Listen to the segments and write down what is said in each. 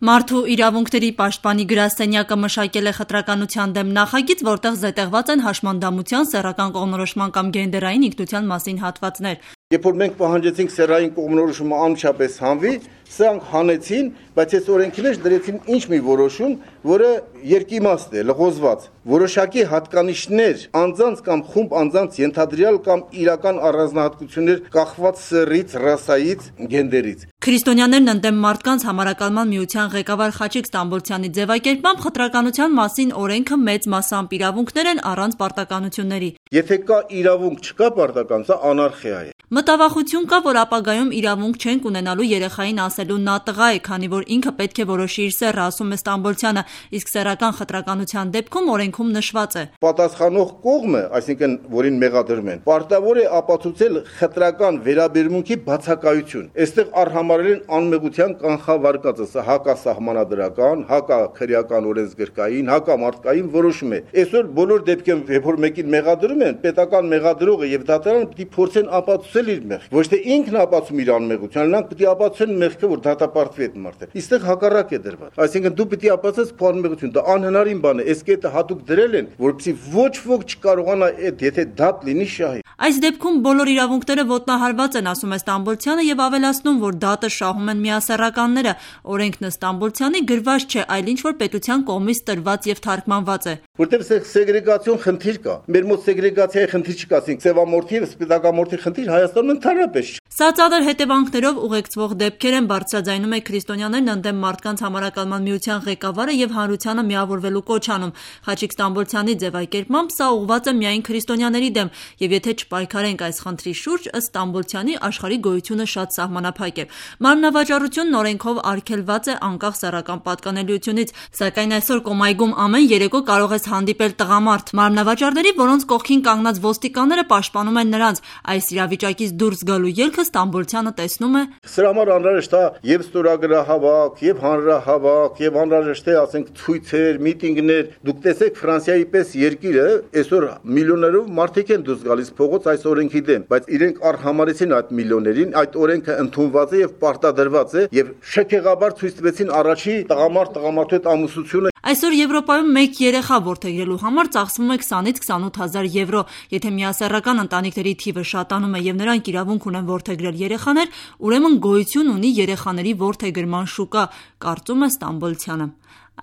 Մարդու իրավունքների պաշտպանի գրասենյակը մշակել է խտրականության դեմ նախագիծ, որտեղ զետեղված են հաշմանդամության, սեռական կողմնորոշման կամ գենդերային ինքնության մասին հատվածներ։ Երբ որ մենք պահանջեցինք սեռային կողմնորոշումը անմիջապես հանվի, սրանք հանեցին, բայց այս օրենքի մեջ դրեցին ինչ մի որոշում, որը երկիմաստ է, լղոզված։ Որոշակի հատկանիշներ անձանց կամ խումբ անձանց ենթադրյալ կամ իրական առանձնահատկություններ կախված սեռից, ռասայից, գենդերից։ Քրիստոնյաներն ընդդեմ մարդկանց համարակալման միության ղեկավար Խաչիկ Ստամբոլցյանի ձևակերպմամբ խտրականության մասին օրենքը մեծ մասամբ իրավունքներ են առանց պարտականությունների։ Եթե կա իրավունք, չկա պարտական, սա անարխիա է։ Մտավախություն կա, որ ապագայում իրավունք չենք ունենալու երեխային ասելու նա տղա է, քանի որ ինքը պետք է որոշի իր սեռը, ասում է Ստամբոլցյանը, իսկ սեռական խտրականության դեպքում օրենքում նշված է. Պատասխանող կողմը, այսինքն որին մեղադրում են, պարտավոր է ապացուցել խտրական վերաբերմունքի բացակայություն։ Այստեղ արհամարել են անմեղության կանխավարկածը, սա հակասահմանադրական, հակաքրեական օրենսգրքային, հակամարտկային որոշում է։ Այսօր բոլոր դեպքերում, երբ որ մեկին մեղադրում են, պետական մեղադրողը եւ դատարանը պիտի փորձեն ապացուցել իր մեղքը։ Ոչ թե ինքն ապացուցում իր անմեղությունը, նրանք պիտի ապացուցեն մեղքը, որ դատապարտվի այդ մարդը։ Այստեղ հակառակ է դրված։ Այսինքն դու պիտի ապացուցես քո անմեղությունը, դա անհնարին բան է։ Այս կետը հատուկ դրել են, որպեսզի ոչ ոք չկարողանա այդ, եթե դատ լինի, շահի։ Այս դեպքում բոլոր իրավունքները ոտնահարված են, ասում է Ստամբոլցյանը եւ ավելացնում, որ դատը շահում են միասեռականները։ Օրենքն Ստամբոլցյանի գրված չէ, այլ ինչ որ պետության կողմից տրված եւ թարգմանված է։ Որտեղ սեգրեգացիոն խնդիր կա։ Մեր մոտ սեգրեգացիայի խնդիր չկա, ասենք սևամորթի եւ սպիտակամորթի խնդիր Հայաստանում ընդհանրապես չի։ Սա ծանր հետևանքներով ուղեկցվող դեպքեր են, բարձրաձայնում է քրիստոնյաներն ընդդեմ մարդկանց համարակալման միության ղեկավարը եւ հանրությանը միավորվելու կոչ անում։ Խաչիկ Ստամբոլցյանի ձևակերպմամբ սա ուղղված է միայն քրիստոնյաների դեմ, եւ եթե չպայքարենք այս խնդրի շուրջ, ըստ Ստամբոլցյանի, աշխարհի գոյությունը շատ սահմանափակ է։ Մարմնավաճառությունն օրենքով արգելված է անկախ սեռական պատկանելիությունից, սակայն այսօր Կոմայգում ամեն երեկո կարող ես հանդիպել տղամարդ։ Մարմնավաճառների, որոնց կողքին կանգնած ոստիկանները պաշտպանում են նրանց, այս իրավիճակից դուրս գալու ելքը Ստամբոլցյանը տեսնում է. Սրա համար անհրաժեշտ է եւ ստորագրահավաք, եւ հանրահավաք, եւ անհրաժեշտ է, ասենք, ցույցեր, միտինգներ։ Դուք տեսեք Ֆրանսիայի պես երկիրը այսօր միլիոներով մարդիկ են դուրս գալիս փողոց այս օրենքի դեմ, բայց իրենք արհամարեցին այդ միլիոներին, այդ օրենքը ընդունված է եւ պարտադրված է եւ շքեղաբար ցույց տվեցին առաջի տղամարդու հետ ամուսնությունը։ Այսօր Եվրոպայում մեկ երեխա որդեգրելու համար ծախսվում է 20-ից 28,000 եվրո։ Եթե միասեռական ընտանիքների թիվը շատանում է եւ նրանք իրավունք ունեն որդեգրել երեխաներ, ուրեմն գոյություն ունի երեխաների որդեգրման շուկա, կարծում է Ստամբոլցյանը։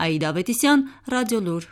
Աիդա Ավետիսյան, Ռադիոլուր։